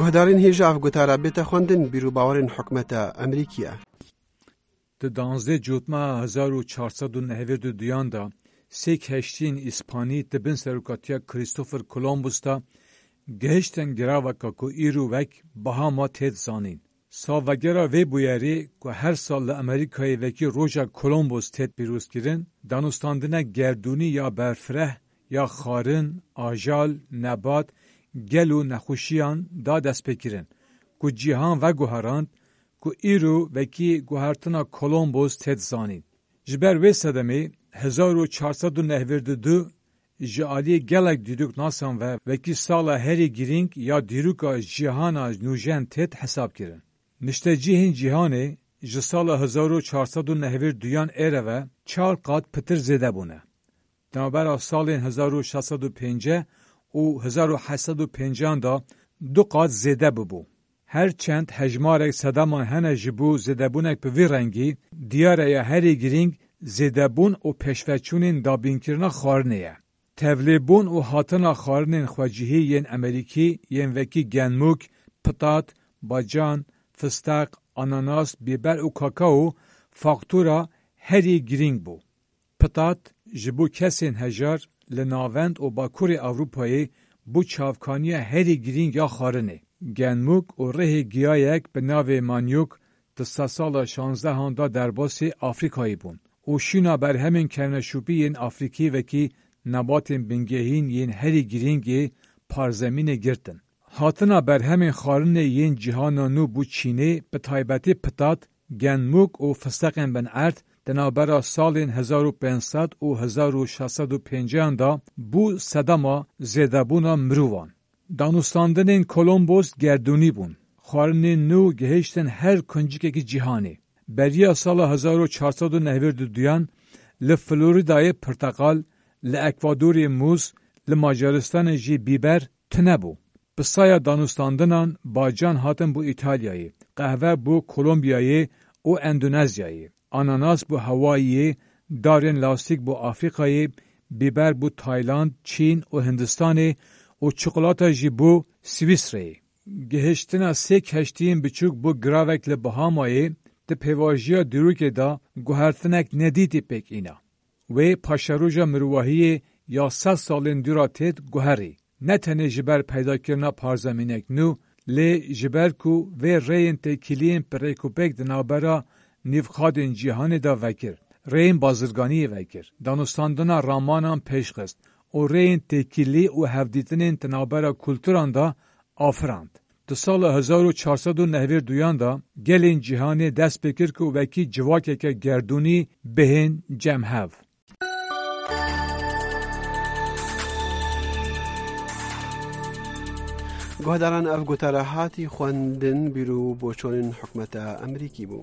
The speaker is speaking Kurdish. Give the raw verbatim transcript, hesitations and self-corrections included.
Guhdarên hêja ev gotara bête xwendin, bîr û bawerên hikûmeta Amerîkî ye. Di danzdeh Cotmeha hezar û çar sed û nehvêd û duyan de sê keştiyên îspanî di bin serokatiya Christopher Columbus de gihiştin giraveka ku îro wek Bahama têt zanîn. Salvegera vê bûyerê ku her sal li Amerîkayê wekî Roja Columbus têt pîrozkirin, danûstandinek gerdûnî ya berfireh, ya xwarin, ajal, nebat, gel û nexweşiyan da destpêkirin ku cîhan veguherand ku îro wekî guhertina Columbus têt zanîn. Ji ber wê sedemê, hezar û çar sed û nehvêd û du ji aliyê gelek dîroknasan ve wekî sala herî girîng ya dîroka cîhana nûjen têt hesabkirin. Niştecihên cîhanê ji sala hezar û çar sed û nehvêd û duyan êre ve çar qat pitir zêde bûne. Di navbera salên hezar û şeş sed û pêncî û hezar û heşt sed û pêncî de du qat zêde bûbû. Her çend hejmarek sedeman hene ji bo zêdebûnek bi vî rengî, diyar e ya herî girîng zêdebûn û pêşveçûnên dabînkirina xwarinê ye. Tevlêbûn û hatina xwarinên xwecihî yên Amerîkî yên wekî genmûk, pitat, bacan, fisteq, ananas, bîber û kakao faktura herî girîng bû. Pitat ji bo kesên hejar li navend û bakurê Ewropayê bû çavkaniya herî girîng ya xwarinê. Genmûk û rihê giyayek bi navê manyok di sedsala şanzdehan de derbasî Afrîkayê bûn û şîna berhemên kevneşopî yên Afrîkî wekî nebatên bingehîn yên herî girîng ê parzemînê girtin. Hatina berhemên xwarinê yên cîhana nû bû Çînê, bi taybetî pitat, genmûk û fisteqên bin erd di navbera salên hezar û pênc sed û hezar û şeş sed û pêncî de bû sedema zêdebûna mirovan. Danûstandinên Kolombos gerdûnî bûn. Xwarinên nû gihiştin her kuncikekî cîhanê. Beriya sala hezar û çar sed û nehvêd û duyan li Florîdayê pirteqal, li Ekvadorê mûz, li Macaristanê jî bîber tune bû. Bi saya danûstandinan bacan hatin bo Îtalyayê, qehve bo Kolombiyayê û Endonezyayê, ananas bo Hawayiyê, darên lastîk bo Afrîkayê, bîber bo Tayland, Çîn û Hindistanê û çikolata jî bo Swîsreyê. Gihiştina sê keştiyên biçûk bo giravek li Bahamayê di pêvajiya dîrokê de guhertinek nedîtî pêk îna. Wê paşeroja mirovahiyê ya sed salên dûra têt guherî. Ne tenê ji ber peydakirina parzemînek nû, lê ji ber ku vê rêyên têkiliyên pirêkûpêk di navbera nîvxadên cîhanê de vekir, rêyên bazirganiyê vekir, danûstandina ramanan pêşxist û rêyên têkilî û hevdîtinên di navbera kulturan de afirand. Di sala hezar û çar sed û nehvêd û duyan de gelên cîhanê dest pê kir ku wekî civakeke gerdûnî bihên cem hev. Guhdaran, ev gotara hatî xwendin, bîr û boçonên hikûmeta Amerîkî bû.